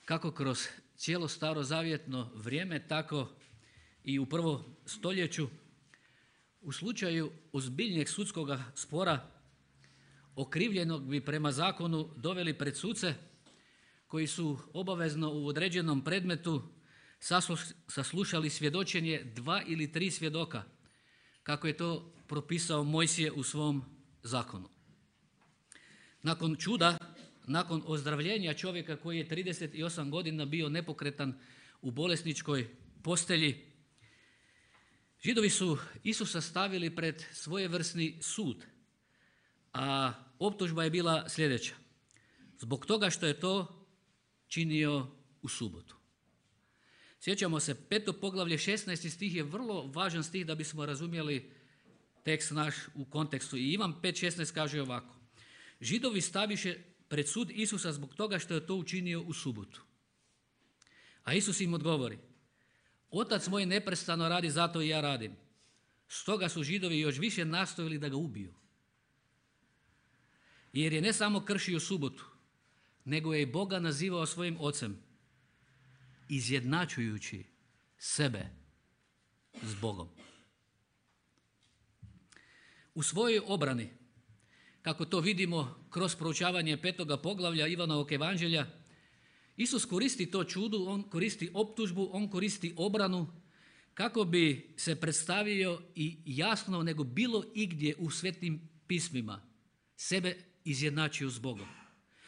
kako kroz cijelo starozavjetno vrijeme, tako i u prvom stoljeću u slučaju ozbiljnijeg sudskog spora okrivljenog bi prema zakonu doveli pred suce koji su obavezno u određenom predmetu saslušali svjedočenje 2 ili 3 svjedoka, kako je to propisao Mojsije u svom zakonu. Nakon čuda, nakon ozdravljenja čovjeka koji je 38 godina bio nepokretan u bolesničkoj postelji, Židovi su Isusa stavili pred svojevrsni sud, a optužba je bila sljedeća: zbog toga što je to činio u subotu. Sjećamo se, 5. poglavlje 16. stih je vrlo važan stih da bismo razumjeli tekst naš u kontekstu. I Ivan 5.16 kaže ovako: Židovi staviše pred sud Isusa zbog toga što je to učinio u subotu. A Isus im odgovori: Otac moj neprestano radi, zato i ja radim. Stoga su Židovi još više nastojali da ga ubiju. Jer je ne samo kršio subotu, nego je i Boga nazivao svojim ocem, izjednačujući sebe s Bogom. U svojoj obrani, kako to vidimo kroz proučavanje 5. poglavlja Ivanovog evanđelja, Isus koristi to čudo, on koristi optužbu, on koristi obranu kako bi se predstavio i jasno nego bilo igdje u svetim pismima sebe izjednačio s Bogom.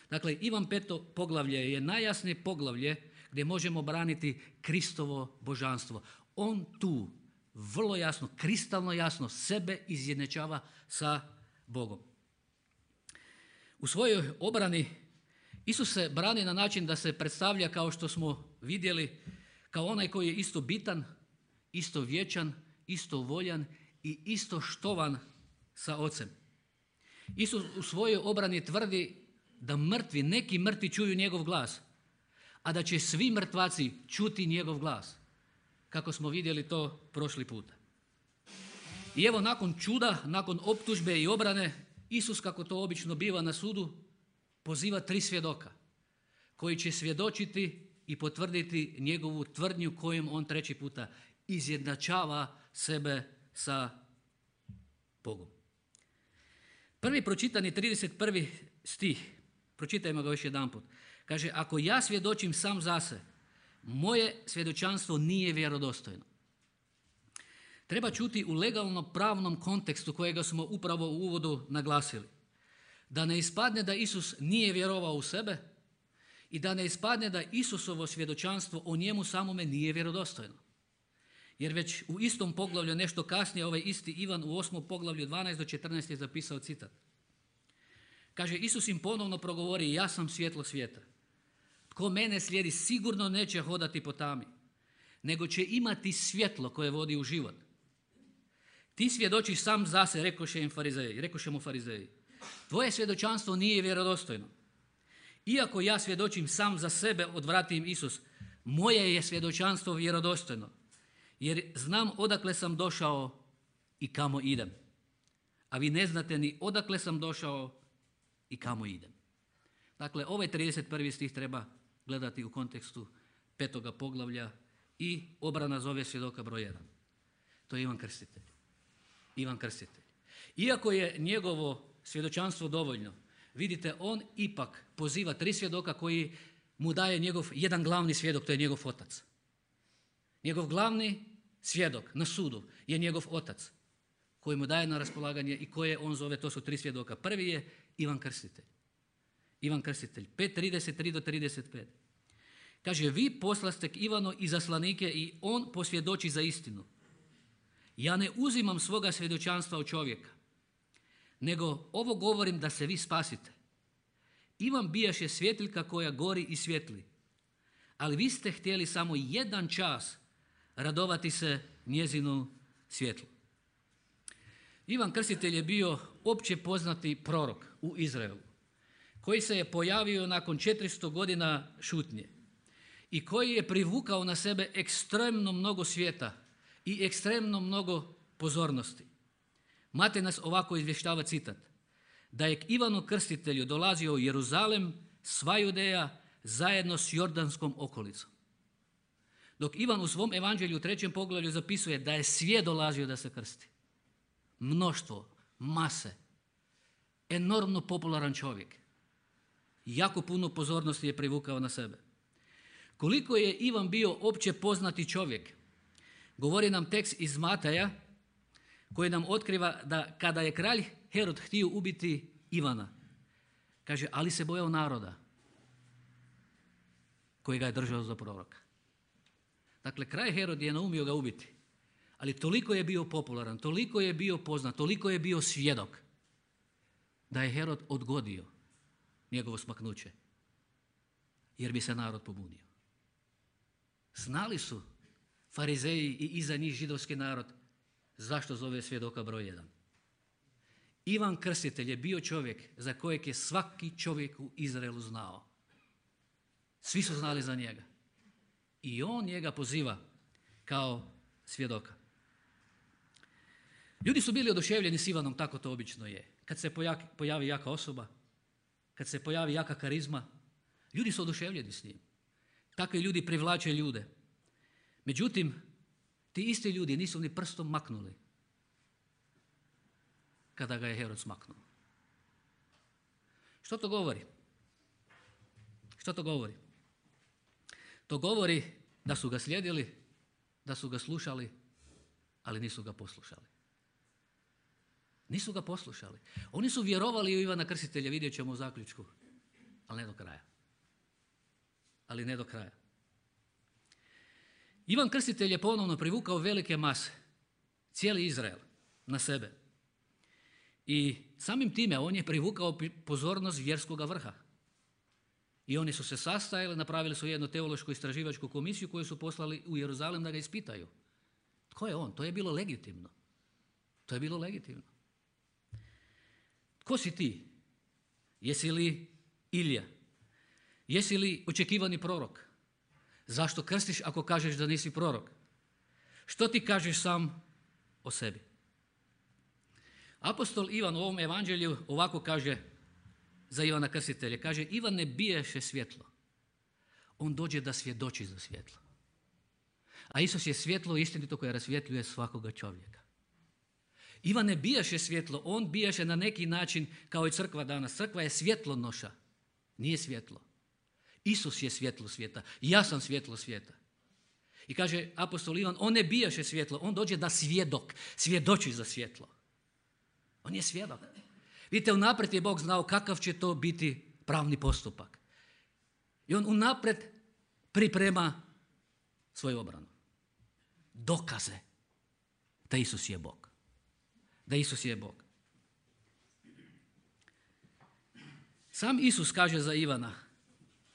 Dakle, Ivan 5. poglavlje je najjasnije poglavlje gdje možemo braniti Kristovo božanstvo. On tu vrlo jasno, kristalno jasno sebe izjednačava sa Bogom. U svojoj obrani Isus se brani na način da se predstavlja, kao što smo vidjeli, kao onaj koji je isto bitan, isto vječan, isto voljan i isto štovan sa Ocem. Isus u svojoj obrani tvrdi da neki mrtvi čuju njegov glas, a da će svi mrtvaci čuti njegov glas, kako smo vidjeli to prošli puta. I evo, nakon čuda, nakon optužbe i obrane, Isus, kako to obično biva na sudu, poziva 3 svjedoka koji će svjedočiti i potvrditi njegovu tvrdnju kojom on 3. puta izjednačava sebe sa Bogom. Prvi pročitani 31. stih, pročitajmo ga još jedanput. Kaže: ako ja svjedočim sam za se, moje svjedočanstvo nije vjerodostojno. Treba čuti u legalno-pravnom kontekstu kojega smo upravo u uvodu naglasili. Da ne ispadne da Isus nije vjerovao u sebe i da ne ispadne da Isusovo svjedočanstvo o njemu samome nije vjerodostojno. Jer već u istom poglavlju, nešto kasnije, ovaj isti Ivan u 8. poglavlju 12 do 14 je zapisao citat. Kaže, Isus im ponovno progovori: ja sam svjetlo svijeta. Tko mene slijedi sigurno neće hodati po tami, nego će imati svjetlo koje vodi u život. Ti svjedočiš sam za se, rekoše mu farizeji. Tvoje svjedočanstvo nije vjerodostojno. Iako ja svjedočim sam za sebe, odvrati im Isus, moje je svjedočanstvo vjerodostojno, jer znam odakle sam došao i kamo idem. A vi ne znate ni odakle sam došao i kamo idem. Dakle, ovaj 31. stih treba gledati u kontekstu 5. poglavlja i obrana zove svjedoka broj 1. To je Ivan Krstitelj. Ivan Krstitelj. Iako je njegovo svjedočanstvo dovoljno, vidite, on ipak poziva 3 svjedoka koji mu daje njegov jedan glavni svjedok, to je njegov otac. Njegov glavni svjedok na sudu je njegov otac, koji mu daje na raspolaganje i koje on zove, to su 3 svjedoka. Prvi je Ivan Krstitelj. Ivan Krstitelj, 5.33 do 35. Kaže, vi poslaste k Ivanu izaslanike i on posvjedoči za istinu. Ja ne uzimam svoga svjedočanstva od čovjeka, nego ovo govorim da se vi spasite. Ivan bijaše svjetiljka koja gori i svjetli, ali vi ste htjeli samo jedan čas radovati se njezinu svjetlu. Ivan Krstitelj je bio opće poznati prorok u Izraelu, koji se je pojavio nakon 400 godina šutnje i koji je privukao na sebe ekstremno mnogo svijeta i ekstremno mnogo pozornosti. Matej nas ovako izvještava citat: da je k Ivanu Krstitelju dolazio u Jeruzalem, sva Judeja, zajedno s Jordanskom okolicom. Dok Ivan u svom evanđelju u 3. poglavlju zapisuje da je svijet dolazio da se krsti. Mnoštvo, mase, enormno popularan čovjek. Jako puno pozornosti je privukao na sebe. Koliko je Ivan bio opće poznati čovjek, govori nam tekst iz Mateja koji nam otkriva da kada je kralj Herod htio ubiti Ivana, kaže, ali se bojao naroda koji ga je držao za proroka. Dakle, kralj Herod je naumio ga ubiti, ali toliko je bio popularan, toliko je bio poznat, toliko je bio svjedok da je Herod odgodio njegovo smaknuće, jer bi se narod pobunio. Znali su farizeji i iza njih židovski narod zašto zove svjedoka broj 1. Ivan Krstitelj je bio čovjek za kojeg je svaki čovjek u Izraelu znao. Svi su znali za njega. I on njega poziva kao svjedoka. Ljudi su bili oduševljeni s Ivanom, tako to obično je. Kad se pojavi jaka osoba, kad se pojavi jaka karizma, ljudi su oduševljeni s njim. Takvi ljudi privlače ljude. Međutim, ti isti ljudi nisu ni prstom maknuli kada ga je Herod smaknuo. Što to govori? Što to govori? To govori da su ga slijedili, da su ga slušali, ali nisu ga poslušali. Nisu ga poslušali. Oni su vjerovali u Ivana Krstitelja, vidjet ćemo u zaključku, ali ne do kraja. Ali ne do kraja. Ivan Krstitelj je ponovno privukao velike mase, cijeli Izrael na sebe. I samim time on je privukao pozornost vjerskoga vrha. I oni su se sastajali, napravili su jednu teološku istraživačku komisiju koju su poslali u Jeruzalem da ga ispitaju. Tko je on? To je bilo legitimno. To je bilo legitimno. Tko si ti? Jesi li Ilija? Jesi li očekivani prorok? Zašto krstiš ako kažeš da nisi prorok? Što ti kažeš sam o sebi? Apostol Ivan u ovom evanđelju ovako kaže za Ivana Krstitelja. Kaže, Ivan ne biješe svjetlo. On dođe da svjedoči za svjetlo. A Isus je svjetlo istinito koje rasvjetljuje svakoga čovjeka. Ivan ne bijaše svjetlo, on bijaše na neki način kao i crkva danas. Crkva je svjetlonoša, nije svjetlo. Isus je svjetlo svijeta, ja sam svjetlo svijeta. I kaže apostol Ivan, on ne bijaše svjetlo, on dođe da svjedoči za svjetlo. On je svjedok. Vidite, unaprijed je Bog znao kakav će to biti pravni postupak. I on unaprijed priprema svoju obranu. Dokaze da Isus je Bog. Da Isus je Bog. Sam Isus kaže za Ivana,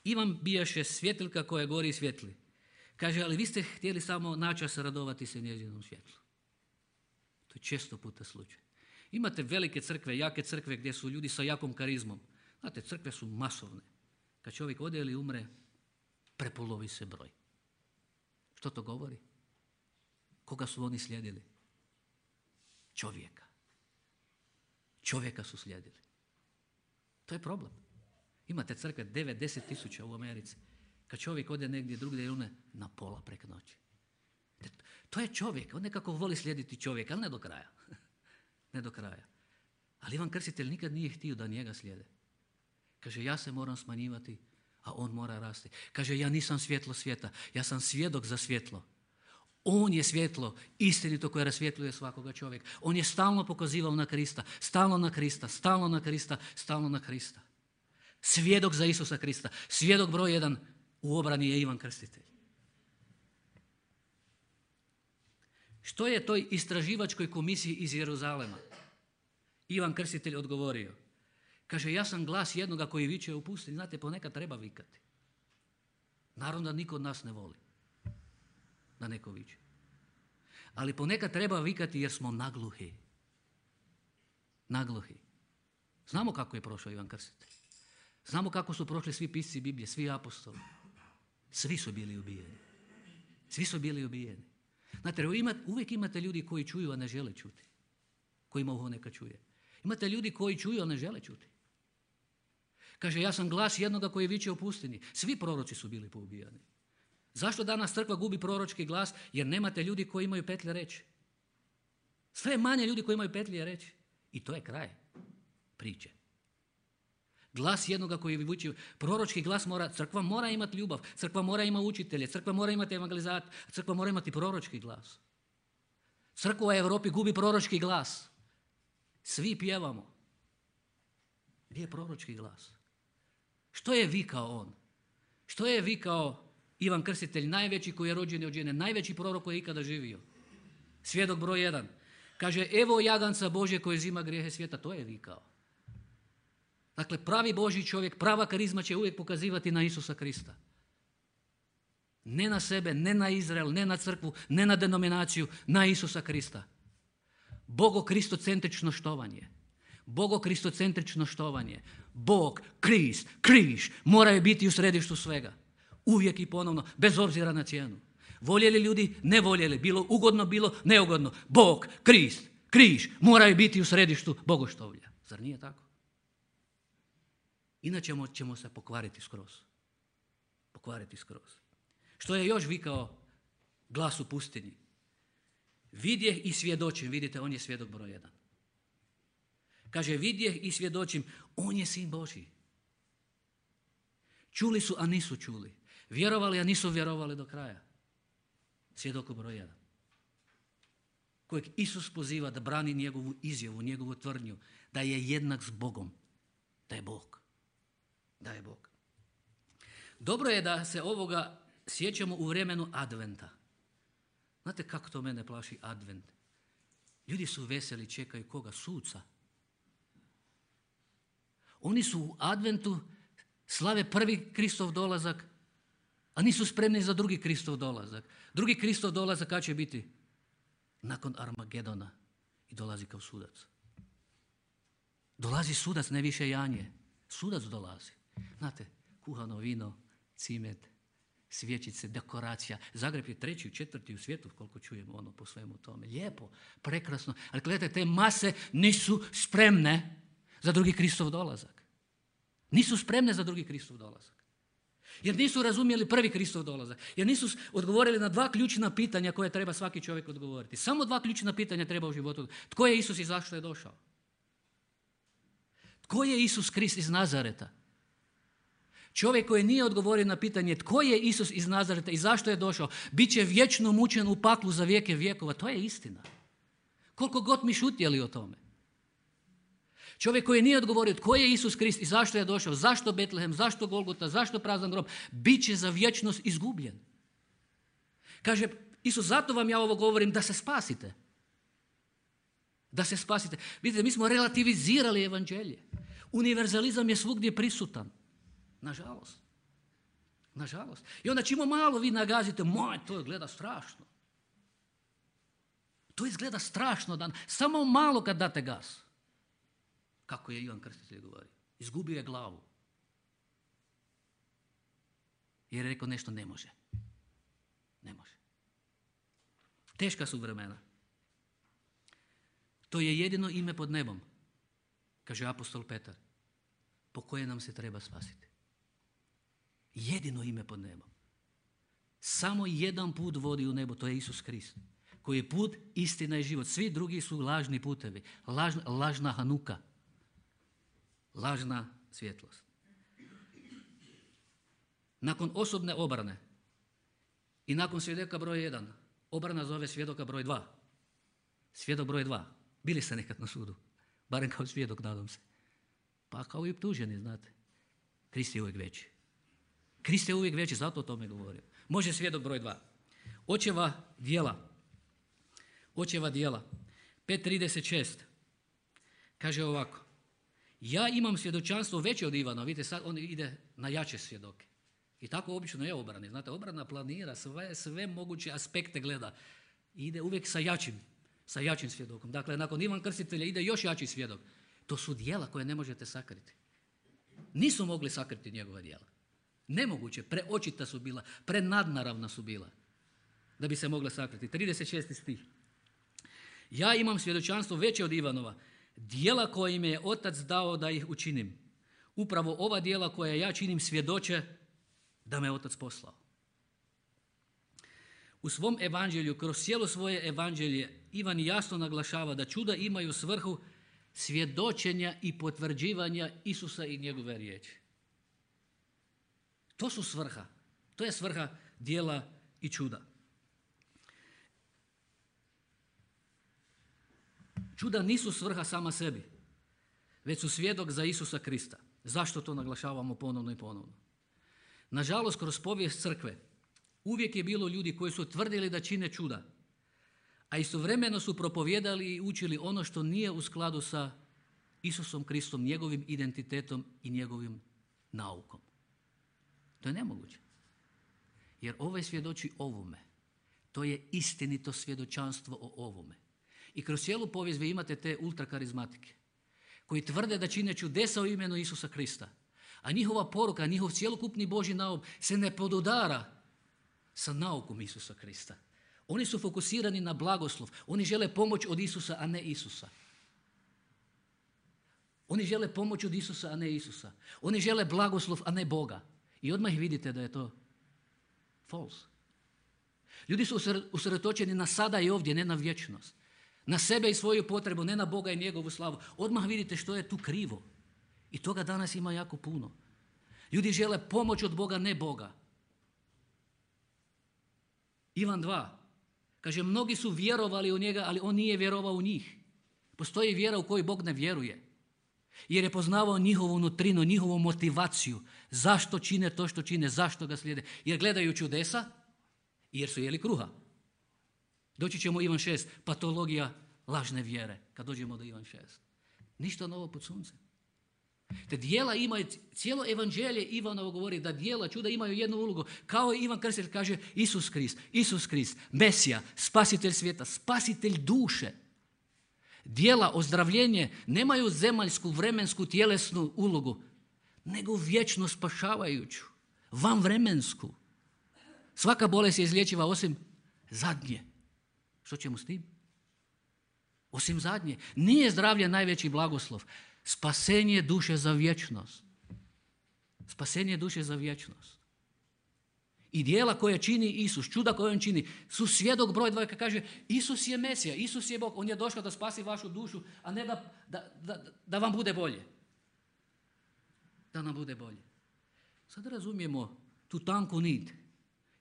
Ivan bijaše svjetiljka koja gori i svjetli. Kaže, ali vi ste htjeli samo načas radovati se njezinom svjetlu. To je često puta slučaj. Imate velike crkve, jake crkve gdje su ljudi sa jakom karizmom. Znate, crkve su masovne. Kad čovjek ode ili umre, prepolovi se broj. Što to govori? Koga su oni slijedili? Čovjeka. Čovjeka su slijedili. To je problem. Imate crkve 9-10 tisuća u Americi. Kad čovjek ode negdje drugdje, one na pola preko noći. To je čovjek. On nekako voli slijediti čovjeka, ali ne do kraja. Ne do kraja. Ali Ivan Krstitelj nikad nije htio da njega slijede. Kaže, ja se moram smanjivati, a on mora rasti. Kaže, ja nisam svjetlo svijeta, ja sam svjedok za svjetlo. On je svjetlo, istinito koje rasvjetljuje svakoga čovjeka. On je stalno pokazivao na Krista, stalno na Krista, stalno na Krista, stalno na Krista. Svjedok za Isusa Krista. Svjedok broj 1 u obrani je Ivan Krstitelj. Što je toj istraživačkoj komisiji iz Jeruzalema Ivan Krstitelj odgovorio? Kaže, ja sam glas jednoga koji viče u pustinji. Znate, ponekad treba vikati. Naravno da niko od nas ne voli da neko viče. Ali ponekad treba vikati jer smo nagluhi. Nagluhi. Znamo kako je prošao Ivan Krstitelj. Znamo kako su prošli svi pisci Biblije, svi apostoli. Svi su bili ubijeni. Svi su bili ubijeni. Znate, uvijek imate ljudi koji čuju, a ne žele čuti. Kojima uho neka čuje. Imate ljudi koji čuju, a ne žele čuti. Kaže, ja sam glas jednoga koji viče u pustinji. Svi proroci su bili poubijani. Zašto danas crkva gubi proročki glas? Jer nemate ljudi koji imaju petlje reći. Sve je manje ljudi koji imaju petlje reći. I to je kraj priče. Glas jednoga koji viče, proročki glas crkva mora imati ljubav, crkva mora imati učitelje, crkva mora imati evangelizator, crkva mora imati proročki glas. Crkva u Europi gubi proročki glas. Svi pjevamo. Gdje je proročki glas? Što je vikao on? Što je vikao Ivan Krstitelj, najveći koji je rođen od žene, najveći prorok koji je ikada živio? Svjedok broj 1. Kaže, evo jaganca Božje koji uzima grijehe svijeta. To je vikao. Dakle, pravi Božji čovjek, prava karizma će uvijek pokazivati na Isusa Krista. Ne na sebe, ne na Izrael, ne na crkvu, ne na denominaciju, na Isusa Krista. Bogo-kristocentrično štovanje. Bogo-kristocentrično štovanje. Bog, Krist, križ moraju biti u središtu svega. Uvijek i ponovno, bez obzira na cijenu. Voljeli ljudi, ne voljeli, bilo ugodno, bilo neugodno. Bog, Krist, križ moraju biti u središtu bogoštovlja. Zar nije tako? Inače ćemo se pokvariti skroz. Pokvariti skroz. Što je još vikao glas u pustinji? Vidjeh i svjedočim. Vidite, on je svjedok broj 1. Kaže, vidjeh i svjedočim, on je sin Božji. Čuli su, a nisu čuli. Vjerovali, a nisu vjerovali do kraja. Svjedoku broj 1. Kojeg Isus poziva da brani njegovu izjavu, njegovu tvrdnju, da je jednak s Bogom. Da je Bog. Da je Bog. Dobro je da se ovoga sjećamo u vremenu adventa. Znate kako to mene plaši advent? Ljudi su veseli, čekaju koga? Suca. Oni su u adventu slave prvi Kristov dolazak, a nisu spremni za drugi Kristov dolazak. Drugi Kristov dolazak kad će biti? Nakon Armagedona i dolazi kao sudac. Dolazi sudac, ne više janje. Sudac dolazi. Znate, kuhano vino, cimet, svječice, dekoracija. Zagreb je 3., 4. u svijetu, koliko čujemo po svemu tome. Lijepo, prekrasno. Ali gledajte, te mase nisu spremne za drugi Kristov dolazak. Nisu spremne za drugi Kristov dolazak. Jer nisu razumjeli prvi Kristov dolazak. Jer nisu odgovorili na 2 ključna pitanja koje treba svaki čovjek odgovoriti. Samo 2 ključna pitanja treba u životu. Tko je Isus i zašto je došao? Tko je Isus Krist iz Nazareta? Čovjek koji nije odgovorio na pitanje tko je Isus iz Nazareta i zašto je došao, bit će vječno mučen u paklu za vijeke vjekova. To je istina. Koliko god mi šutjeli o tome. Čovjek koji nije odgovorio tko je Isus Krist i zašto je došao, zašto Betlehem, zašto Golgota, zašto prazan grob, bit će za vječnost izgubljen. Kaže Isus, zato vam ja ovo govorim da se spasite. Da se spasite. Vidite, mi smo relativizirali evanđelje. Univerzalizam je svugdje prisutan. Nažalost. Nažalost. I onda čimo malo vi nagazite, to izgleda strašno. To izgleda strašno. Samo malo kad date gas. Kako je Ivan Krstitelj govorio. Izgubio je glavu. Jer je rekao nešto ne može. Ne može. Teška su vremena. To je jedino ime pod nebom, kaže apostol Petar, po koje nam se treba spasiti. Jedino ime pod nebom. Samo jedan put vodi u nebo, to je Isus Krist. Koji je put, istina i život. Svi drugi su lažni putevi. Lažna Hanuka. Lažna svjetlost. Nakon osobne obrane i nakon svjedoka broj 1, obrana zove svjedoka broj 2. Svjedok broj 2. Bili ste nekad na sudu. Barem kao svjedok, nadam se. Pa kao i optuženi, znate. Krist je uvijek veći. Krist je uvijek veći, zato o tome govorim. Može svjedok broj 2. Očeva djela. Očeva djela. 5.36. Kaže ovako. Ja imam svjedočanstvo veće od Ivana. Vidite, sad on ide na jače svjedoke. I tako obično je obrani. Znate, obrana planira, sve moguće aspekte gleda. I ide uvijek sa jačim svjedokom. Dakle, nakon Ivan Krstitelja ide još jači svjedok. To su djela koje ne možete sakriti. Nisu mogli sakriti njegova djela. Nemoguće, preočita su bila, prenadnaravna su bila, da bi se mogla sakriti. 36. stih. Ja imam svjedočanstvo veće od Ivanova, djela koje im je otac dao da ih učinim. Upravo ova djela koja ja činim svjedoče da me Otac poslao. U svom evanđelju, kroz cijelo svoje evanđelje, Ivan jasno naglašava da čuda imaju svrhu svjedočenja i potvrđivanja Isusa i njegove riječi. To su svrha. To je svrha djela i čuda. Čuda nisu svrha sama sebi, već su svjedok za Isusa Krista. Zašto to naglašavamo ponovno i ponovno? Nažalost, kroz povijest crkve uvijek je bilo ljudi koji su tvrdili da čine čuda, a istovremeno su propovijedali i učili ono što nije u skladu sa Isusom Kristom, njegovim identitetom i njegovim naukom. To je nemoguće. Jer ovaj svjedoči ovome. To je istinito svjedočanstvo o ovome. I kroz cijelu povijest vi imate te ultrakarizmatike koji tvrde da čine čudesa u imenu Isusa Krista. A njihova poruka, njihov cjelokupni Božji nauk se ne podudara sa naukom Isusa Krista. Oni su fokusirani na blagoslov. Oni žele pomoć od Isusa, a ne Isusa. Oni žele pomoć od Isusa, a ne Isusa. Oni žele blagoslov, a ne Boga. I odmah vidite da je to false. Ljudi su usredotočeni na sada i ovdje, ne na vječnost. Na sebe i svoju potrebu, ne na Boga i njegovu slavu. Odmah vidite što je tu krivo. I toga danas ima jako puno. Ljudi žele pomoć od Boga, ne Boga. Ivan 2. Kaže, mnogi su vjerovali u njega, ali on nije vjerovao u njih. Postoji vjera u koju Bog ne vjeruje. Jer je poznavao njihovu nutrinu, njihovu motivaciju. Zašto čine to što čine, zašto ga slijede. Jer gledaju čudesa i jer su jeli kruha. Doći ćemo Ivan 6, patologija lažne vjere, kad dođemo do Ivan 6. Ništa novo pod suncem. Te djela imaju, cijelo evanđelje Ivanovo govori da djela, čuda imaju jednu ulogu. Kao Ivan Krstitelj kaže Isus Krist, Mesija, spasitelj svijeta, spasitelj duše. Djela, ozdravljenje nemaju zemaljsku, vremensku, tjelesnu ulogu, nego vječno spašavajuću, vanvremensku. Svaka bolest je izlječiva osim zadnje. Što ćemo s tim? Osim zadnje. Nije zdravlje najveći blagoslov. Spasenje duše za vječnost. Spasenje duše za vječnost. I djela koje čini Isus, čuda koje on čini, su svjedok broj 2 kad kaže Isus je Mesija, Isus je Bog, on je došao da spasi vašu dušu, a ne da vam bude bolje. Da nam bude bolje. Sad razumijemo tu tanku nit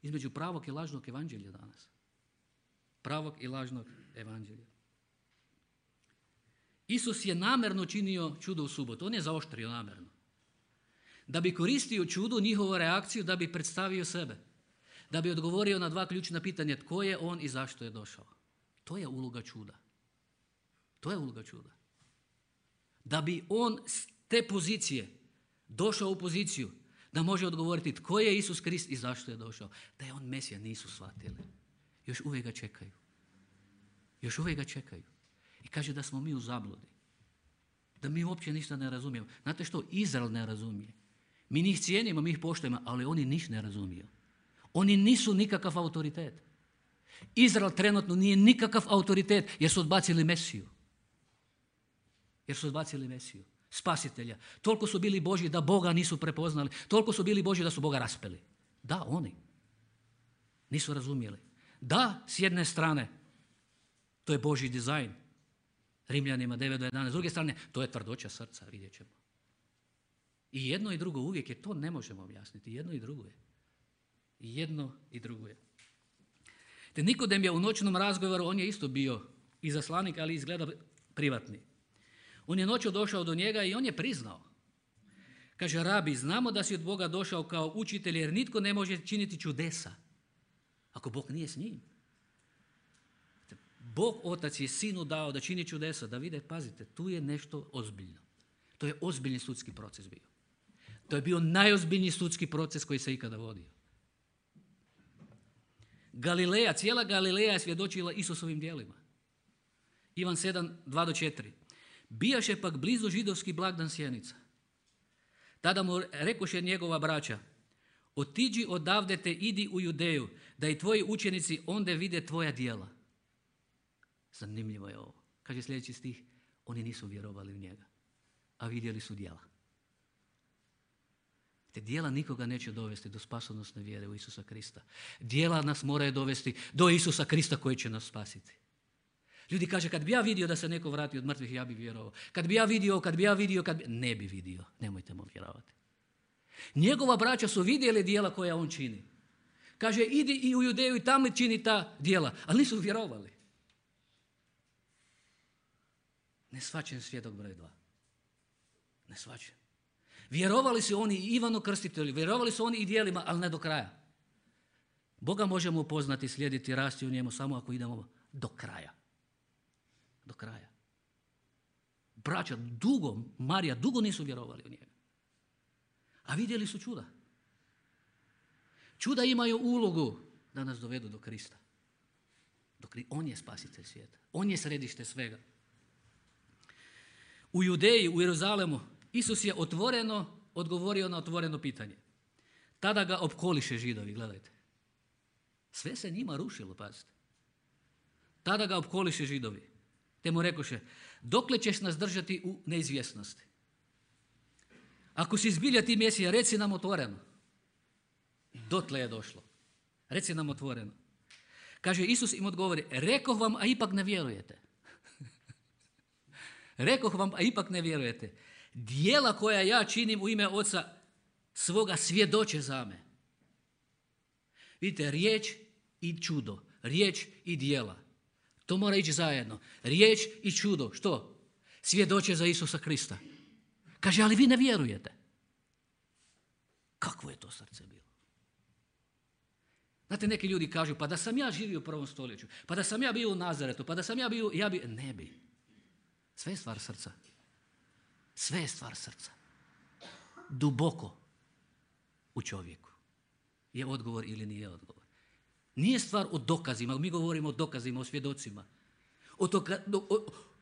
između pravog i lažnog evanđelja danas. Pravog i lažnog evanđelja. Isus je namjerno činio čudo u subotu. On je zaoštrio namjerno. Da bi koristio čudu, njihovu reakciju, da bi predstavio sebe. Da bi odgovorio na 2 ključna pitanja. Tko je on i zašto je došao? To je uloga čuda. To je uloga čuda. Da bi on s te pozicije došao u poziciju da može odgovoriti tko je Isus Krist i zašto je došao. Da je on Mesija, nisu shvatili. Još uvijek ga čekaju. Još uvijek ga čekaju. I kaže da smo mi u zabludi. Da mi uopće ništa ne razumijemo. Znate što? Izrael ne razumije. Mi njih cijenimo, mi ih poštujemo, ali oni ništa ne razumiju. Oni nisu nikakav autoritet. Izrael trenutno nije nikakav autoritet jer su odbacili Mesiju. Jer su odbacili Mesiju. Spasitelja. Toliko su bili Božji da Boga nisu prepoznali. Toliko su bili Božji da su Boga raspeli. Da, oni. Nisu razumjeli. Da, s jedne strane, to je Božji dizajn. Rimljanima 9 do 11. S druge strane, to je tvrdoća srca, vidjet ćemo. I jedno i drugo uvijek je, to ne možemo objasniti. Jedno i drugo je. I jedno i drugo je. Te Nikodem je u noćnom razgovoru, on je isto bio izaslanik, ali izgleda privatni. On je noću došao do njega i on je priznao. Kaže, rabi, znamo da si od Boga došao kao učitelj jer nitko ne može činiti čudesa ako Bog nije s njim. Bog Otac je Sinu dao da čini čudesa, da vide, pazite, tu je nešto ozbiljno. To je ozbiljni sudski proces bio. To je bio najozbiljniji sudski proces koji se ikada vodio. Galileja, cijela Galileja je svjedočila Isusovim djelima. Ivan 7, 2 do 4. Bijaše pak blizu židovski blagdan Sjenica. Tada mu rekoše njegova braća, otiđi odavde te idi u Judeju, da i tvoji učenici onda vide tvoja djela. Zanimljivo je ovo. Kaže sljedeći stih, oni nisu vjerovali u njega, a vidjeli su djela. Te djela nikoga neće dovesti do spasonosne vjere u Isusa Krista. Djela nas moraju dovesti do Isusa Krista koji će nas spasiti. Ljudi kaže, kad bi ja vidio da se neko vrati od mrtvih, ja bi vjerovao. Kad bi ja vidio, ne bi vidio. Nemojte mu vjerovati. Njegova braća su vidjeli djela koja on čini. Kaže, idi i u Judeju i tamo čini ta djela. Ali nisu vjerovali. Ne shvaćen svjedok broj 2. Ne shvaćen. Vjerovali su oni i Ivanu Krstitelju, vjerovali su oni i djelima, ali ne do kraja. Boga možemo upoznati, slijediti, rasti u njemu samo ako idemo do kraja. Do kraja. Braća Marija dugo nisu vjerovali u njega. A vidjeli su čuda. Čuda imaju ulogu da nas dovedu do Krista. On je spasitelj svijeta. On je središte svega. U Judeji, u Jeruzalemu, Isus je otvoreno odgovorio na otvoreno pitanje. Tada ga opkoliše Židovi, gledajte. Sve se njima rušilo, pazite. Tada ga opkoliše Židovi. Te mu rekoše, dokle ćeš nas držati u neizvjesnosti? Ako si zbilja ti Mesija, reci nam otvoreno. Dotle je došlo. Reci nam otvoreno. Kaže, Isus im odgovori, rekoh vam, a ipak ne vjerujete. Rekoh vam, a ipak ne vjerujete. Djela koja ja činim u ime Oca svoga svjedoče za me. Vidite, riječ i čudo, riječ i djela. To mora ići zajedno. Riječ i čudo, što? Svjedoče za Isusa Krista. Kaže, ali vi ne vjerujete. Kakvo je to srce bilo? Znate, neki ljudi kažu, pa da sam ja živio u 1. stoljeću, pa da sam ja bio u Nazaretu, pa da sam ja bio, ne bi. Sve je stvar srca. Sve je stvar srca. Duboko u čovjeku. Je odgovor ili nije odgovor. Nije stvar o dokazima, mi govorimo o dokazima, o svjedocima.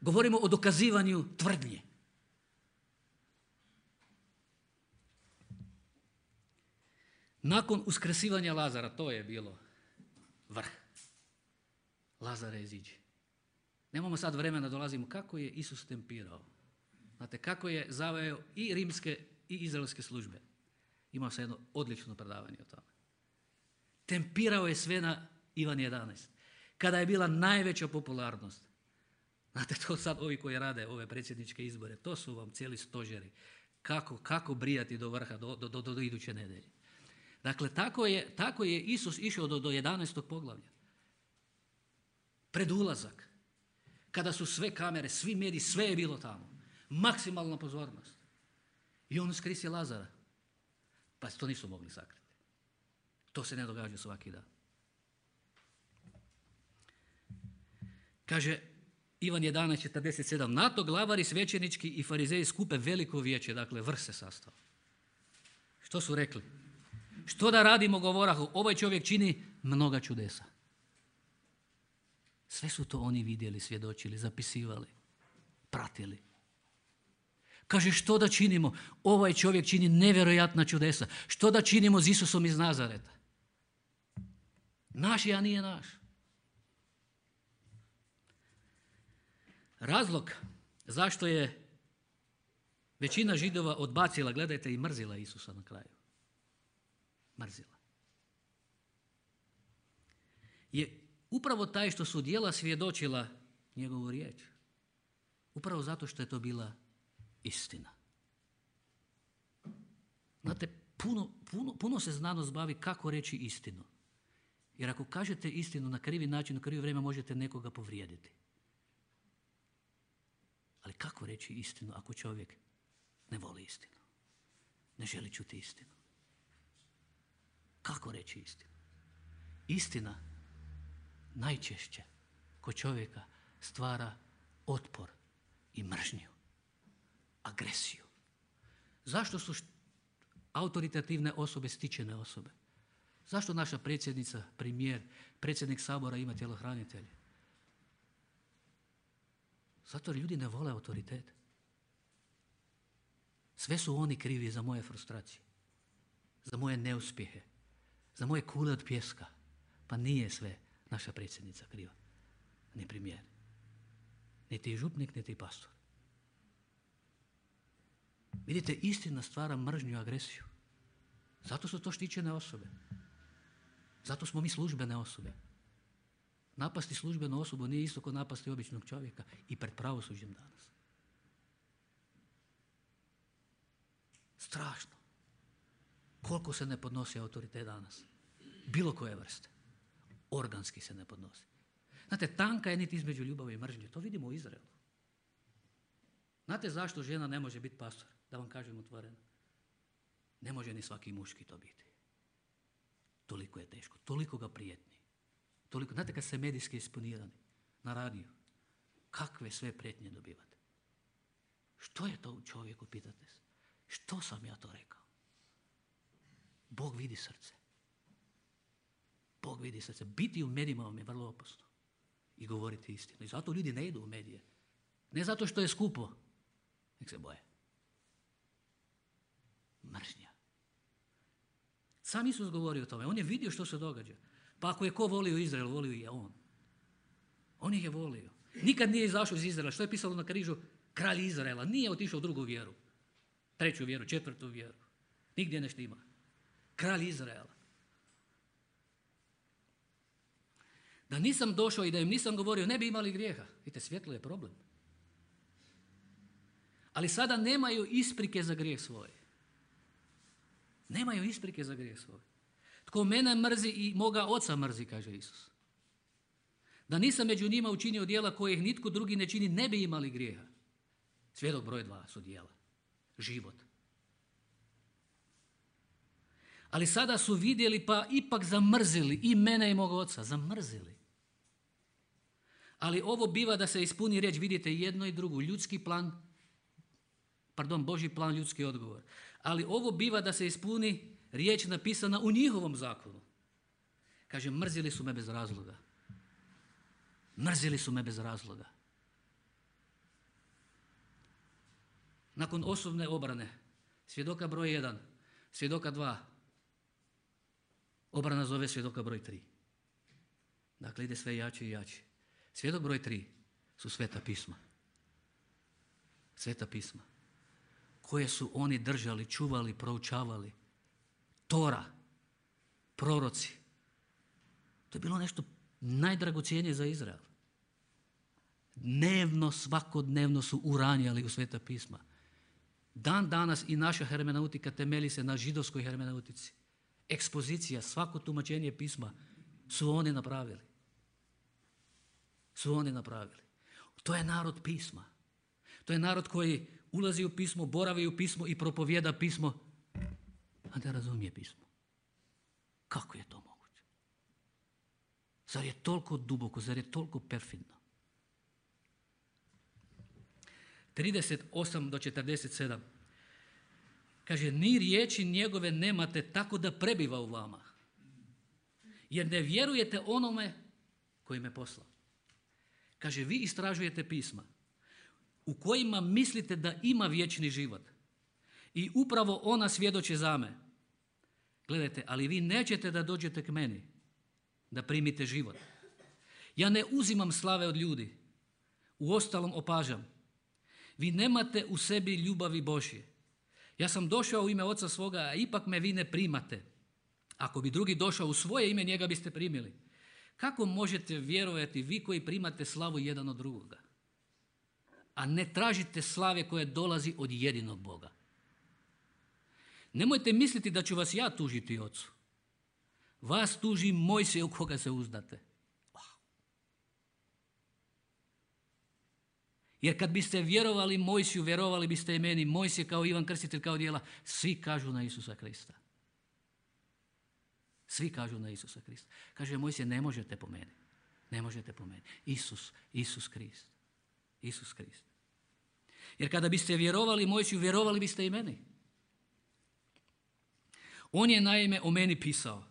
Govorimo o dokazivanju tvrdnje. Nakon uskrsivanja Lazara, to je bilo vrh. Lazare iziđi. Nemamo sad vremena, dolazimo kako je Isus tempirao. Znate, kako je zaveo i rimske i izraelske službe. Imao sam jedno odlično predavanje o tome. Tempirao je sve na Ivan 11. Kada je bila najveća popularnost. Znate, to sad ovi koji rade ove predsjedničke izbore, to su vam cijeli stožeri. Kako brijati do vrha, do iduće nedelje. Dakle, tako je Isus išao do 11. poglavlja. Pred ulazak. Kada su sve kamere, svi mediji, sve je bilo tamo. Maksimalna pozornost. I on uskrisi Lazara. Pa to nisu mogli sakriti. To se ne događa svaki dan. Kaže Ivan 11.47. Na to glavari svećenički i farizeji skupe veliko vijeće, dakle vrh se sastao. Što su rekli? Što da radimo, govorahu, ovaj čovjek čini mnoga čudesa. Sve su to oni vidjeli, svjedočili, zapisivali, pratili. Kaže, što da činimo? Ovaj čovjek čini nevjerojatna čudesa. Što da činimo s Isusom iz Nazareta? Naš je, a nije naš. Razlog zašto je većina Židova odbacila, gledajte, i mrzila Isusa na kraju. Mrzila. Je upravo taj što su djela svjedočila njegovu riječ. Upravo zato što je to bila istina. Znate, puno se znanost bavi kako reći istinu. Jer ako kažete istinu na krivi način, u krivo vrijeme možete nekoga povrijediti. Ali kako reći istinu ako čovjek ne voli istinu? Ne želi čuti istinu? Kako reći istinu? Istina najčešće kod čovjeka stvara otpor i mržnju, agresiju. Zašto su autoritativne osobe stičene osobe? Zašto naša predsjednica, premijer, predsjednik Sabora ima tjelohranitelje? Zato jer ljudi ne vole autoritet. Sve su oni krivi za moje frustracije, za moje neuspjehe, za moje kule od pijeska. Pa nije sve naša predsjednica kriva, ni premijer, niti župnik, niti pastor. Vidite, istina stvara mržnju i agresiju. Zato su to štićene osobe. Zato smo mi službene osobe. Napasti službenu osobu nije isto kao napasti običnog čovjeka i pred pravosuđem danas. Strašno. Koliko se ne podnosi autoritet danas? Bilo koje vrste. Organski se ne podnosi. Znate, tanka je niti između ljubavi i mržnje. To vidimo u Izraelu. Znate zašto žena ne može biti pastor? Da vam kažem otvoreno. Ne može ni svaki muški to biti. Toliko je teško. Toliko ga prijetni. Toliko. Znate kad ste medijski eksponirani na radiju, kakve sve prijetnje dobivate? Što je to u čovjeku, pitate se? Što sam ja to rekao? Bog vidi srce. Bog vidi srce. Biti u medijima vam je vrlo opasno. I govoriti istinu. I zato ljudi ne idu u medije. Ne zato što je skupo. Nek se boje. Mržnja. Sam Isus govori o tome. On je vidio što se događa. Pa ako je ko volio Izrael, volio je on. On ih je volio. Nikad nije izašao iz Izraela. Što je pisalo na križu? Kralj Izraela. Nije otišao u drugu vjeru. Treću vjeru, četvrtu vjeru. Nigdje ne štima. Kralj Izraela. Da nisam došao i da im nisam govorio, ne bi imali grijeha. Vidite, svjetlo je problem. Ali sada nemaju isprike za grijeh svoj. Nemaju isprike za grijeh svoj. Tko mene mrzi i moga oca mrzi, kaže Isus. Da nisam među njima učinio djela kojih nitko drugi ne čini, ne bi imali grijeha. Svjedok broj 2 su djela. Život. Ali sada su vidjeli pa ipak zamrzili i mene i mog oca. Zamrzili. Ali ovo biva da se ispuni riječ, vidite, jedno i drugo. Božji plan, ljudski odgovor. Ali ovo biva da se ispuni riječ napisana u njihovom zakonu. Kaže, mrzili su me bez razloga. Mrzili su me bez razloga. Nakon osobne obrane, svjedoka broj 1, svjedoka 2, obrana zove svjedoka broj 3. Dakle, ide sve jače i jače. Svjedok broj 3 su Sveta pisma. Sveta pisma. Koje su oni držali, čuvali, proučavali. Tora, proroci. To je bilo nešto najdragocjenije za Izrael. Dnevno, svakodnevno su uranjali u Sveta pisma. Dan danas i naša hermeneutika temelji se na židovskoj hermeneutici. Ekspozicija, svako tumačenje pisma su oni napravili. Su oni napravili. To je narod pisma. To je narod koji ulazi u pismo, boravi u pismo i propovjeda pismo, a ne razumije pismo. Kako je to moguće? Zar je toliko duboko, zar je toliko perfidno? 38 do 47. Kaže, ni riječi njegove nemate tako da prebiva u vama. Jer ne vjerujete onome koji me poslao. Kaže, vi istražujete pisma u kojima mislite da ima vječni život. I upravo ona svjedoče za me. Gledajte, ali vi nećete da dođete k meni, da primite život. Ja ne uzimam slave od ljudi. Uostalom opažam. Vi nemate u sebi ljubavi Božje. Ja sam došao u ime Oca svoga, a ipak me vi ne primate. Ako bi drugi došao u svoje ime, njega biste primili. Kako možete vjerovati vi koji primate slavu jedan od drugoga? A ne tražite slave koje dolazi od jedinog Boga. Nemojte misliti da ću vas ja tužiti Ocu. Vas tuži Mojsije u koga se uzdate. Jer kad biste vjerovali Mojsiju, vjerovali biste i meni. Mojsije kao Ivan Krstitelj, kao djela, svi kažu na Isusa Krista. Svi kažu na Isusa Krista. Kaže Mojsije, ne možete po meni. Ne možete po meni. Isus Krist. Isus Krist. Jer kada biste vjerovali Mojsiju, vjerovali biste i meni. On je naime o meni pisao.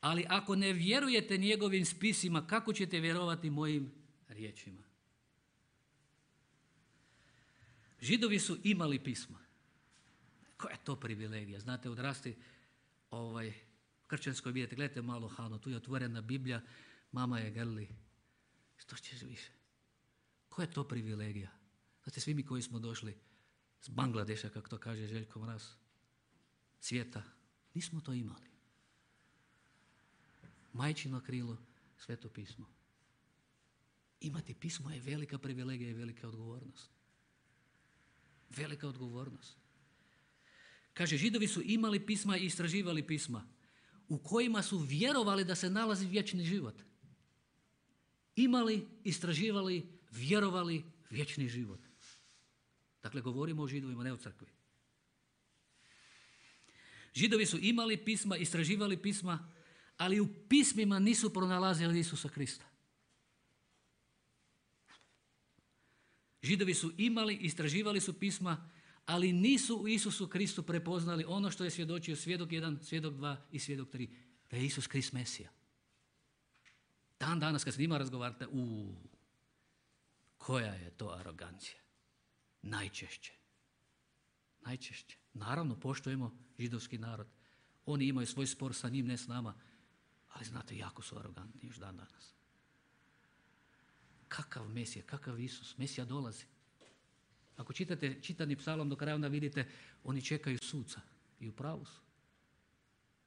Ali ako ne vjerujete njegovim spisima, kako ćete vjerovati mojim riječima? Židovi su imali pisma. Koja je to privilegija? Znate, odrasti u kršćanskoj, vidite, gledajte malo Hano, tu je otvorena Biblija, mama je grli. Što ćeš više? Koja je to privilegija? Znate, svi mi koji smo došli s Bangladeša, kako to kaže Željko Mraz, svijeta, Nismo to imali. Majčino krilo, Sveto pismo. Imati pismo je velika privilegija i velika odgovornost. Velika odgovornost. Kaže, Židovi su imali pisma i istraživali pisma u kojima su vjerovali da se nalazi vječni život. Imali, istraživali, vjerovali vječni život. Dakle, govorimo o Židovima, ne o crkvi. Židovi su imali pisma, istraživali pisma, ali u pismima nisu pronalazili Isusa Krista. Židovi su imali, istraživali su pisma, ali nisu u Isusu Kristu prepoznali ono što je svjedočio svjedok 1, svjedok 2 i svjedok 3, da je Isus Krist Mesija. Dan danas kad s njima razgovarate, koja je to arogancija? Najčešće. Naravno, poštujemo židovski narod. Oni imaju svoj spor sa njim, ne s nama, ali znate, jako su arogantni još dan danas. Kakav Mesija, kakav Isus? Mesija dolazi. Ako čitate čitani psalom do kraja, onda vidite, oni čekaju suca i u pravu su.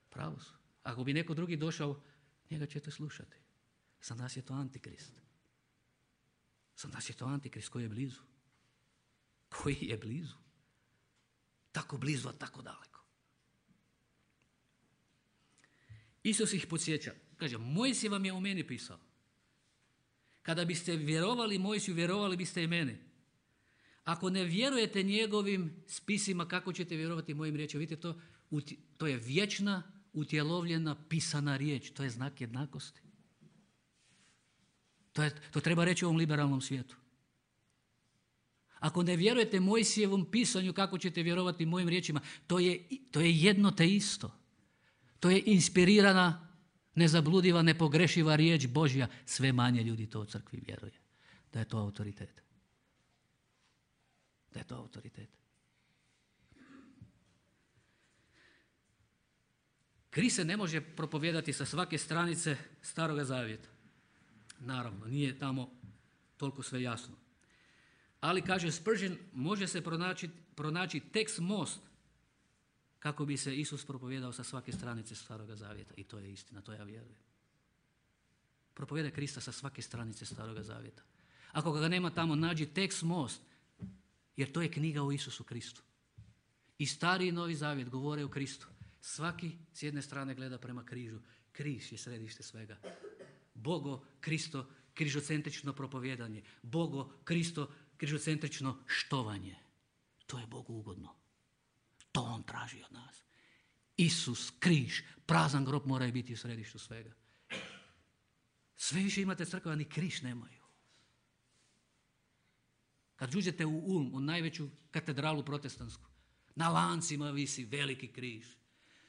Pravu su. Ako bi neko drugi došao, njega ćete slušati. Za nas je to antikrist. Za nas je to antikrist koji je blizu. Koji je blizu. Tako blizu, a tako daleko. Isus ih podsjeća. Kaže, Mojsije vam je o meni pisao. Kada biste vjerovali Mojsiju, vjerovali biste i meni. Ako ne vjerujete njegovim spisima, kako ćete vjerovati mojim riječima? Vidite, to je vječna, utjelovljena, pisana riječ. To je znak jednakosti. To treba reći u ovom liberalnom svijetu. Ako ne vjerujete Mojsijevom pisanju, kako ćete vjerovati mojim riječima? To je jedno te isto. To je inspirirana, nezabludiva, nepogrešiva riječ Božja. Sve manje ljudi to u crkvi vjeruje. Da je to autoritet. Da je to autoritet. Krist se ne može propovijedati sa svake stranice Staroga Zavjeta. Naravno, nije tamo toliko sve jasno. Ali, kaže Spurgeon, može se pronaći tekst most kako bi se Isus propovijedao sa svake stranice Staroga Zavjeta. I to je istina, to ja vjerujem. Propovijedaj Krista sa svake stranice Staroga Zavjeta. Ako ga nema tamo, nađi tekst most, jer to je knjiga o Isusu Kristu. I Stari i Novi Zavjet govore o Kristu. Svaki s jedne strane gleda prema križu. Križ je središte svega. Bogo, Kristo, križocentrično propovijedanje. Bogo, Kristo, križocentrično štovanje. To je Bogu ugodno. To on traži od nas. Isus, križ, prazan grob moraju biti u središtu svega. Sve više imate crkva, ni križ nemaju. Kad uđete u Ulm, u najveću katedralu protestantsku, na lancima visi veliki križ.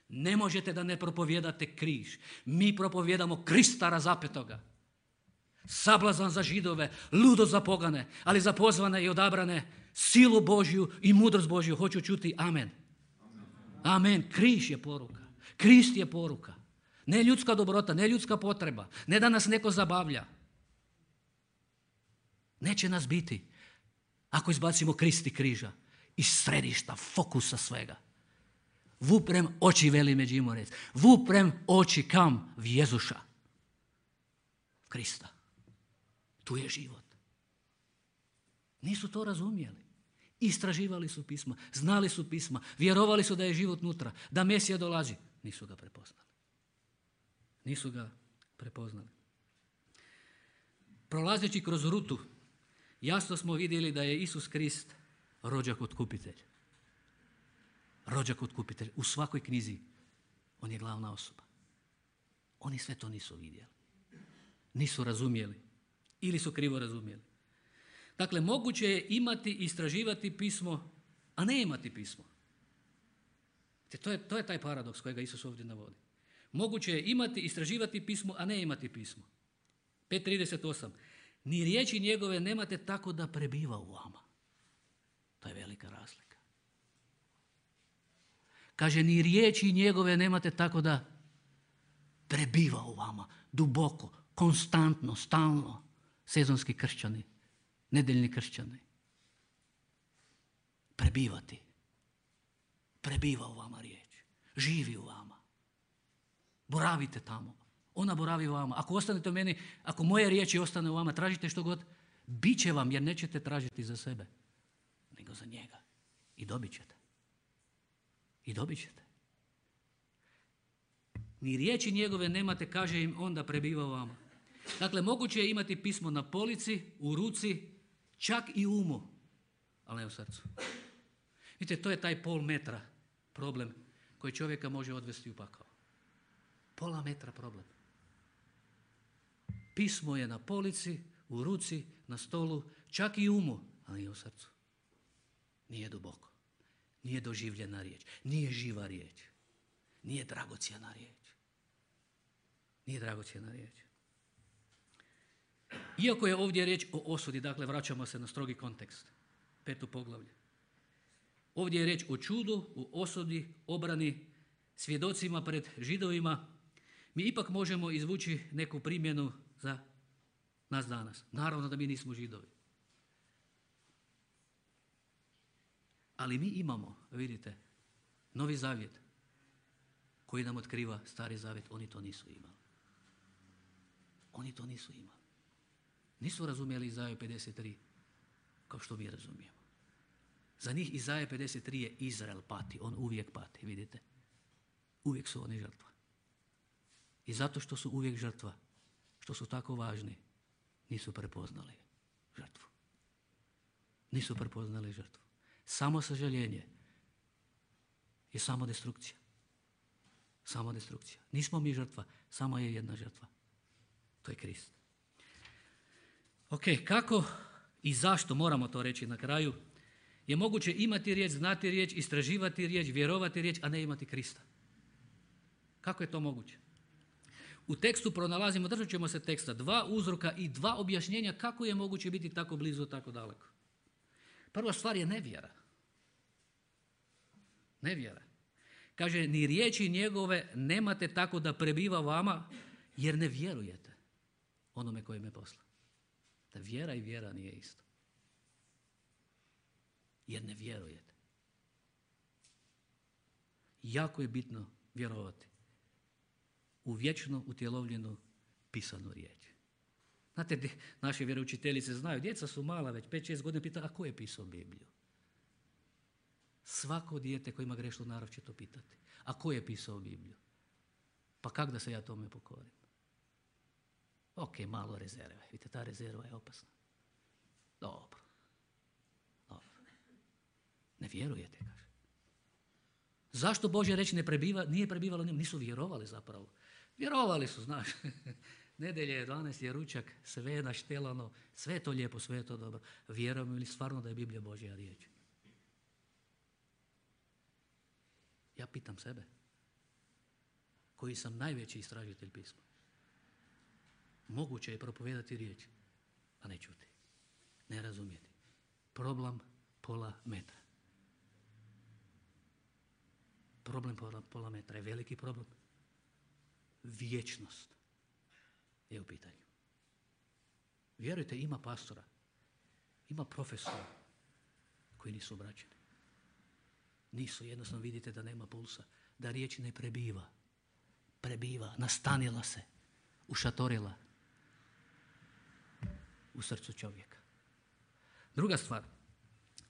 Ne možete da ne propovijedate križ. Mi propovijedamo Krista razapetoga. Sablazan za Židove, ludo za pogane, ali za pozvane i odabrane, silu Božju i mudrost Božju. Hoću čuti amen. Amen. Križ je poruka. Krist je poruka. Ne ljudska dobrota, ne ljudska potreba. Ne da nas neko zabavlja. Neće nas biti ako izbacimo Krist i križa iz središta, fokusa svega. Vuprem oči, veli Međimurec. Vuprem oči kam? V Jezuša. Krista. Tu je život. Nisu to razumjeli. Istraživali su pisma, znali su pisma, vjerovali su da je život nutra, da Mesija dolazi. Nisu ga prepoznali. Nisu ga prepoznali. Prolazeći kroz rutu, jasno smo vidjeli da je Isus Krist rođak otkupitelj. Rođak otkupitelj. U svakoj knjizi on je glavna osoba. Oni sve to nisu vidjeli. Nisu razumjeli. Ili su krivo razumjeli. Dakle, moguće je imati i istraživati pismo, a ne imati pismo. To je taj paradoks kojega Isus ovdje navodi. Moguće je imati i istraživati pismo, a ne imati pismo. 5.38. Ni riječi njegove nemate tako da prebiva u vama. To je velika razlika. Kaže, ni riječi njegove nemate tako da prebiva u vama. Duboko, konstantno, stalno. Sezonski kršćani, nedeljni kršćani. Prebivati. Prebiva u vama riječ. Živi u vama. Boravite tamo. Ona boravi u vama. Ako ostanete u meni, ako moje riječi ostane u vama, tražite što god, bit će vam jer nećete tražiti za sebe, nego za njega. I dobit ćete. I dobit ćete. Ni riječi njegove nemate, kaže im, onda prebiva u vama. Dakle, moguće je imati pismo na polici, u ruci, čak i u umu, ali ne u srcu. Vidite, to je taj pol metra problem koji čovjeka može odvesti u pakao. Pola metra problem. Pismo je na polici, u ruci, na stolu, čak i u umu, ali nije u srcu. Nije duboko. Nije doživljena riječ. Nije živa riječ. Nije dragocjena riječ. Nije dragocjena riječ. Iako je ovdje riječ o osudi, dakle vraćamo se na strogi kontekst, 5. poglavlje. Ovdje je riječ o čudu, o osudi, obrani, svjedocima pred Židovima. Mi ipak možemo izvući neku primjenu za nas danas. Naravno da mi nismo Židovi. Ali mi imamo, vidite, Novi Zavjet koji nam otkriva Stari Zavjet. Oni to nisu imali. Oni to nisu imali. Nisu razumjeli Izaiju 53 kao što mi razumijemo. Za njih Izaija 53 je Izrael pati. On uvijek pati, vidite. Uvijek su oni žrtva. I zato što su uvijek žrtva, što su tako važni, nisu prepoznali žrtvu. Nisu prepoznali žrtvu. Samo sažaljenje je samo destrukcija. Samo destrukcija. Nismo mi žrtva, samo je jedna žrtva. To je Krist. Ok, kako i zašto, moramo to reći na kraju, je moguće imati riječ, znati riječ, istraživati riječ, vjerovati riječ, a ne imati Krista? Kako je to moguće? U tekstu pronalazimo, držat ćemo se teksta, 2 uzroka i 2 objašnjenja kako je moguće biti tako blizu, tako daleko. Prva stvar je nevjera. Nevjera. Kaže, ni riječi njegove nemate tako da prebiva vama, jer ne vjerujete onome koji me posla. Da vjera i vjera nije isto. Jer ne vjerujete. Jako je bitno vjerovati u vječno utjelovljenu pisanu riječ. Znate, naše vjeroučiteljice znaju, djeca su mala već, 5-6 godina, pita, a ko je pisao Bibliju? Svako dijete koje ima grešnu narav će to pitati. A ko je pisao Bibliju? Pa kak da se ja tome pokorim? Ok, malo rezerve. Vidite, ta rezerva je opasna. Dobro. Ne vjerujete, kaže. Zašto Božja reč nije prebivalo u njemu? Nisu vjerovali zapravo. Vjerovali su, znaš. Nedelje je 12 je ručak, sve je naštelano, sve je to lijepo, sve je to dobro. Vjerujemo li stvarno da je Biblija Božja riječ? Ja pitam sebe, koji sam najveći istražitelj pisma. Moguće je propovedati riječ, a ne čuti, ne razumjeti. Problem pola metra. Problem pola metra je veliki problem. Vječnost je u pitanju. Vjerujte, ima pastora, ima profesora koji nisu obraćeni. Nisu, jednostavno vidite da nema pulsa, da riječ ne prebiva. Prebiva, nastanila se, ušatorila u srcu čovjeka. Druga stvar,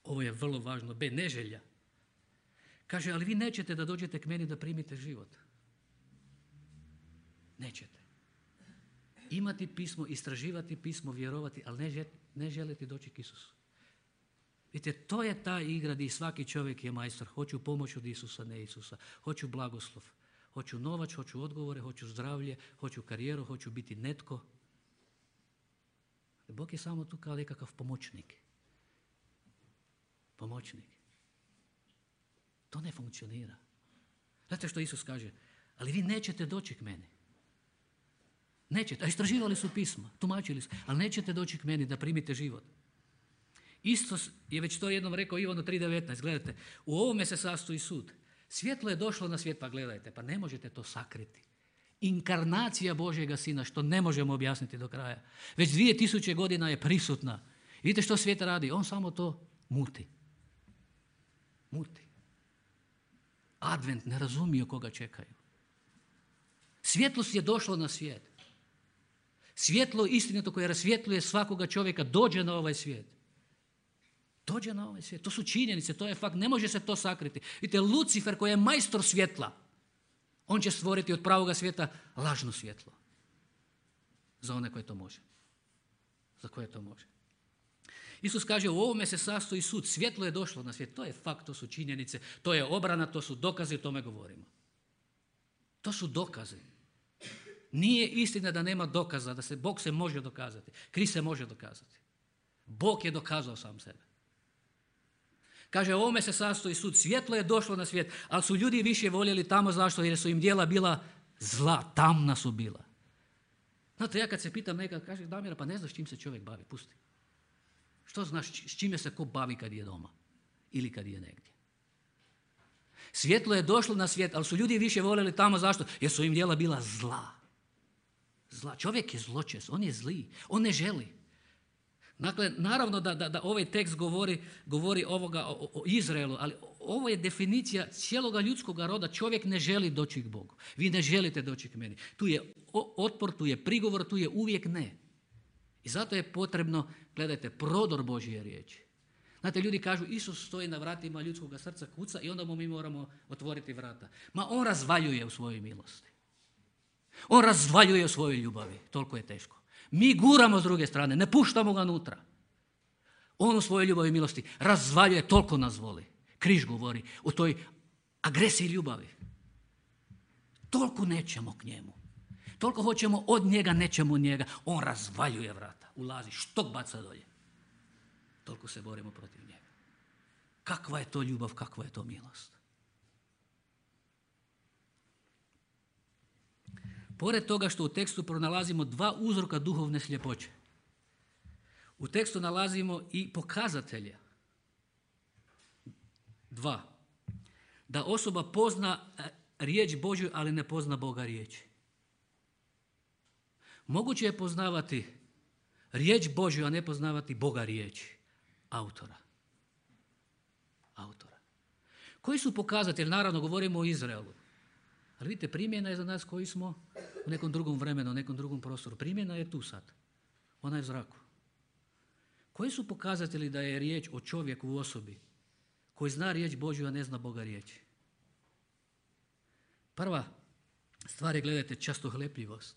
ovo je vrlo važno, B, neželja. Kaže, ali vi nećete da dođete k meni da primite život. Nećete. Imati pismo, istraživati pismo, vjerovati, ali ne želite doći k Isusu. Vidite, to je ta igra gdje svaki čovjek je majstor. Hoću pomoć od Isusa, ne Isusa. Hoću blagoslov. Hoću novac, hoću odgovore, hoću zdravlje, hoću karijeru, hoću biti netko. Bog je samo tu kao nekakav pomoćnik. Pomoćnik. To ne funkcionira. Znate što Isus kaže? Ali vi nećete doći k meni. Nećete. A istraživali su pisma, tumačili su, ali nećete doći k meni da primite život. Isto je već to jednom rekao Ivanu 3.19. Gledajte, u ovome se sastoji sud. Svjetlo je došlo na svijet, pa gledajte, pa ne možete to sakriti. Inkarnacija Božjega Sina, što ne možemo objasniti do kraja. Već 2000 godina je prisutna. Vidite što svijet radi? On samo to muti. Muti. Advent ne razumiju koga čekaju. Svjetlost je došlo na svijet. Svjetlo istinito koje rasvjetljuje svakoga čovjeka dođe na ovaj svijet. Dođe na ovaj svijet. To su činjenice, to je fakt. Ne može se to sakriti. Vidite, Lucifer koji je majstor svjetla, on će stvoriti od pravoga svijeta lažno svjetlo. Za one koje to može. Za koje to može. Isus kaže, u ovome se sastoji sud. Svjetlo je došlo na svijet. To je fakt, to su činjenice, to je obrana, to su dokazi, o tome govorimo. To su dokazi. Nije istina da nema dokaza, da Bog se može dokazati. Krist se može dokazati. Bog je dokazao sam sebe. Kaže, u ovome se sastoji sud. Svjetlo je došlo na svijet, ali su ljudi više voljeli tamo. Zašto? Jer su im djela bila zla, tamna su bila. Znate, ja kad se pitam nekad, kaže, Damira, pa ne znaš čim se čovjek bavi, pusti. Što znaš s čime se ko bavi kad je doma ili kad je negdje? Svjetlo je došlo na svijet, ali su ljudi više voljeli tamo. Zašto? Jer su im djela bila zla. Zla. Čovjek je zločest, on je zli, on ne želi. Dakle, naravno da ovaj tekst govori o Izraelu, ali ovo je definicija cijeloga ljudskoga roda. Čovjek ne želi doći k Bogu. Vi ne želite doći k meni. Tu je otpor, tu je prigovor, tu je uvijek ne. I zato je potrebno, gledajte, prodor Božje riječi. Znate, ljudi kažu, Isus stoji na vratima ljudskoga srca, kuca i onda mu mi moramo otvoriti vrata. Ma on razvaljuje u svojoj milosti. On razvaljuje u svojoj ljubavi. Toliko je teško. Mi guramo s druge strane, ne puštamo ga unutra. On u svojoj ljubavi i milosti razvaljuje, toliko nas voli. Križ govori o toj agresiji ljubavi. Toliko nećemo k njemu. Toliko hoćemo od njega, nećemo od njega. On razvaljuje vrata, ulazi, štok baca dolje. Toliko se borimo protiv njega. Kakva je to ljubav, kakva je to milost. Pored toga što u tekstu pronalazimo dva uzroka duhovne sljepoće, u tekstu nalazimo i pokazatelja. Dva. Da osoba pozna riječ Božju, ali ne pozna Boga riječi. Moguće je poznavati riječ Božju, a ne poznavati Boga riječi. Autora. Koji su pokazatelji? Naravno, govorimo o Izraelu. Ali vidite, primjena je za nas koji smo u nekom drugom vremenu, u nekom drugom prostoru. Primjena je tu sad. Ona je u zraku. Koji su pokazatelji da je riječ o čovjeku u osobi koji zna riječ Božju, a ne zna Boga riječi? Prva stvar je, gledajte, častohlepljivost.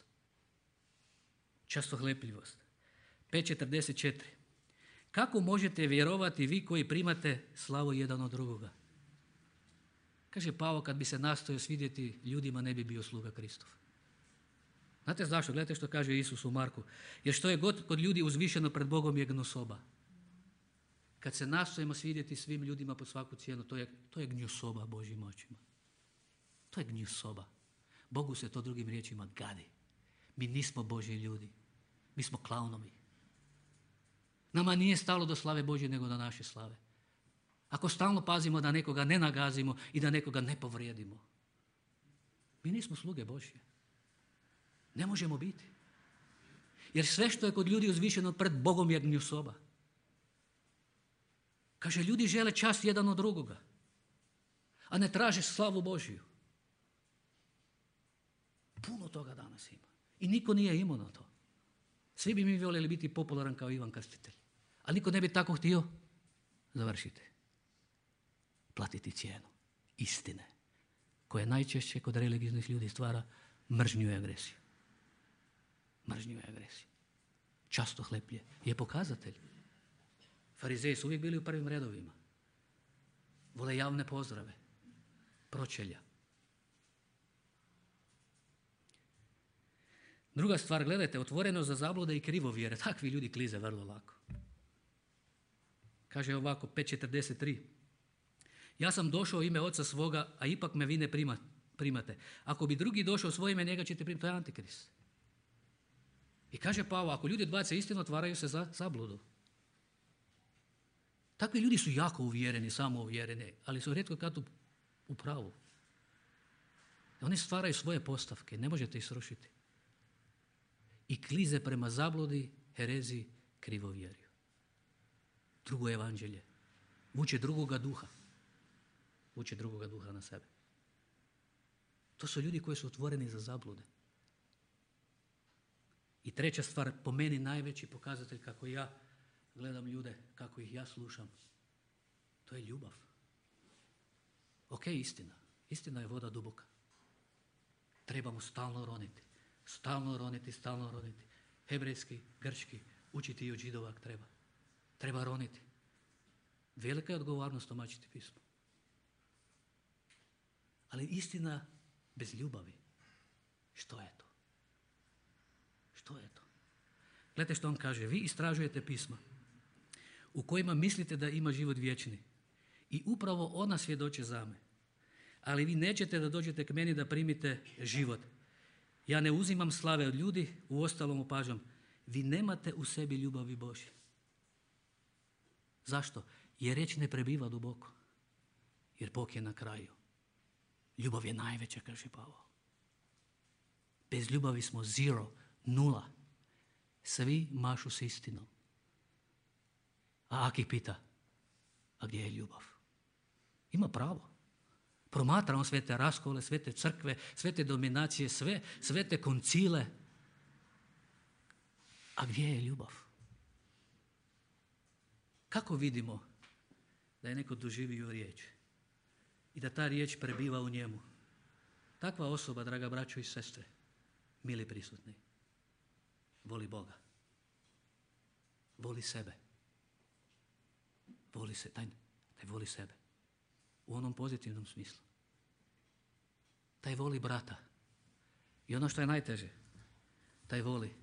Častohlepljivost. 5.44. Kako možete vjerovati vi koji primate slavu jedan od drugoga? Kaže Pavao, kad bi se nastojao svidjeti ljudima, ne bi bio sluga Kristov. Znate zašto? Gledajte što kaže Isus u Marku. Jer što je god kod ljudi uzvišeno pred Bogom je gnusoba. Kad se nastojimo svidjeti svim ljudima pod svaku cijenu, to je gnjusoba Božjim očima. To je gnjusoba. Bogu se to drugim riječima gadi. Mi nismo Božji ljudi. Mi smo klaunovi. Nama nije stalo do slave Božje nego do naše slave. Ako stalno pazimo da nekoga ne nagazimo i da nekoga ne povrijedimo, mi nismo sluge Božje. Ne možemo biti. Jer sve što je kod ljudi uzvišeno pred Bogom je gnjusoba. Kaže, ljudi žele čast jedan od drugoga, a ne traže slavu Božju. Puno toga danas ima. I niko nije imao na to. Svi bi mi voljeli biti popularan kao Ivan Krstitelj. Ali niko ne bi tako htio. Završite. Platiti cijenu istine, koja najčešće kod religijnih ljudi stvara mržnju i agresiju. Mržnju i agresiju. Častohleplje je pokazatelj. Farizeji su uvijek bili u prvim redovima. Vole javne pozdrave, pročelja. Druga stvar, gledajte, otvoreno za zablude i krivovjere. Takvi ljudi klize vrlo lako. Kaže ovako, 5.43. Ja sam došao u ime oca svoga, a ipak me vi ne primate. Ako bi drugi došao u svoje ime, njega ćete primati. To je antikrist. I kaže Pavao, ako ljudi odbace istinu, otvaraju se za zabludu. Takvi ljudi su jako uvjereni, samouvjereni, ali su rijetko kad u pravu. Oni stvaraju svoje postavke, ne možete ih srušiti. I klize prema zabludi, hereziji, krivovjerju. Drugo evanđelje. Vuče drugoga duha. Vuče drugoga duha na sebe. To su ljudi koji su otvoreni za zablude. I treća stvar, po meni najveći pokazatelj kako ja gledam ljude, kako ih ja slušam, to je ljubav. Ok, istina. Istina je voda duboka. Trebamo stalno roniti. Stalno roniti, stalno roniti. Hebrejski, grčki, učiti i od Židova treba. Treba roniti. Velika je odgovornost tumačiti pismo. Ali istina bez ljubavi, što je to? Što je to? Gledajte što on kaže. Vi istražujete pisma u kojima mislite da ima život vječni. I upravo ona svjedoče za me. Ali vi nećete da dođete k meni da primite život. Ja ne uzimam slave od ljudi, uostalom opažam. Vi nemate u sebi ljubavi Božje. Zašto? Jer riječ ne prebiva duboko. Jer Bog je na kraju. Ljubav je najveća, kaže Pavao. Bez ljubavi smo zero, nula. Svi mašu s istinom. A Aki pita, a gdje je ljubav? Ima pravo. Promatramo sve te raskole, sve te crkve, sve te dominacije, sve te koncile. A gdje je ljubav? Kako vidimo da je neko doživio riječ i da ta riječ prebiva u njemu? Takva osoba, draga braćo i sestre, mili prisutni, voli Boga. Voli sebe. Voli se, taj voli sebe. U onom pozitivnom smislu. Taj voli brata. I ono što je najteže, taj voli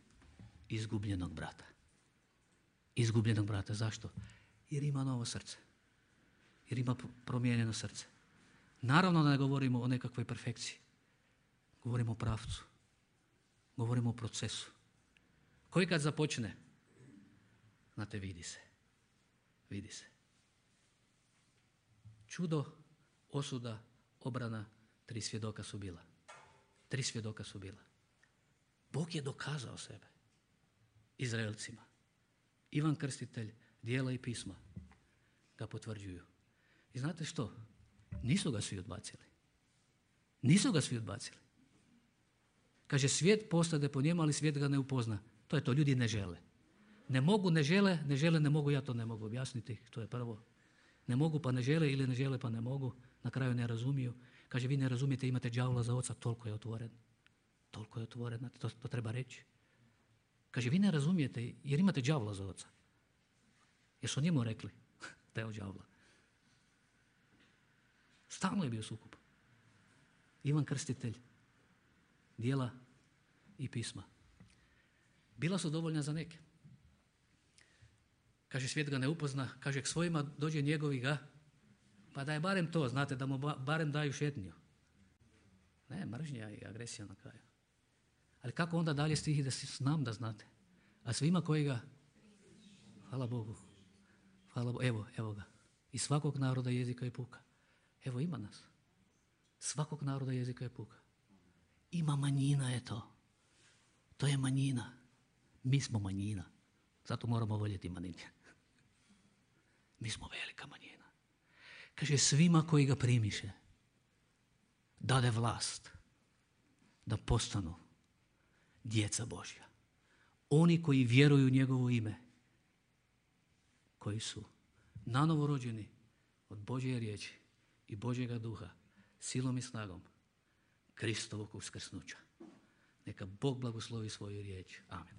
izgubljenog brata. Izgubljenog brata. Zašto? Jer ima novo srce. Jer ima promijenjeno srce. Naravno da ne govorimo o nekakvoj perfekciji. Govorimo o pravcu. Govorimo o procesu. Koji kad započne, znate, vidi se. Vidi se. Čudo, osuda, obrana, 3 svjedoka su bila. 3 svjedoka su bila. Bog je dokazao sebe Izraelcima. Ivan Krstitelj, djela i pisma ga potvrđuju. I znate što? Nisu ga svi odbacili. Nisu ga svi odbacili. Kaže, svijet postade po njemu, ali svijet ga ne upozna. To je to, ljudi ne žele. Ne mogu, ne žele, ne mogu, ja to ne mogu objasniti, to je prvo. Ne mogu pa ne žele ili ne žele pa ne mogu, na kraju ne razumiju. Kaže, vi ne razumijete, imate đavola za oca, toliko je otvoren. Toliko je otvoren, to treba reći. Kaže, vi ne razumijete jer imate đavola za oca. Jer su njemu rekli da je od đavola. Stalno je bio sukob. Ivan Krstitelj, djela i pisma. Bila su dovoljna za neke. Kaže, svijet ga ne upozna, kaže, k svojima dođe njegovi ga, pa da je barem to, znate, da mu barem daju šetnju. Ne, mržnja i agresija na kraju. Ali kako onda dalje stihi da znam da znate? A svima koji ga, hvala Bogu, evo ga, iz svakog naroda, jezika i puka. Evo ima nas. Svakog naroda, jezika i puka. Ima manjina je to. To je manjina. Mi smo manjina. Zato moramo voljeti manjine. Mi smo velika manjina. Kaže, svima koji ga primiše, dade vlast da postanu djeca Božja. Oni koji vjeruju u njegovo ime, koji su nanovo rođeni od Božje riječi i Božjega duha, silom i snagom Kristovog uskrsnuća. Neka Bog blagoslovi svoju riječ. Amen.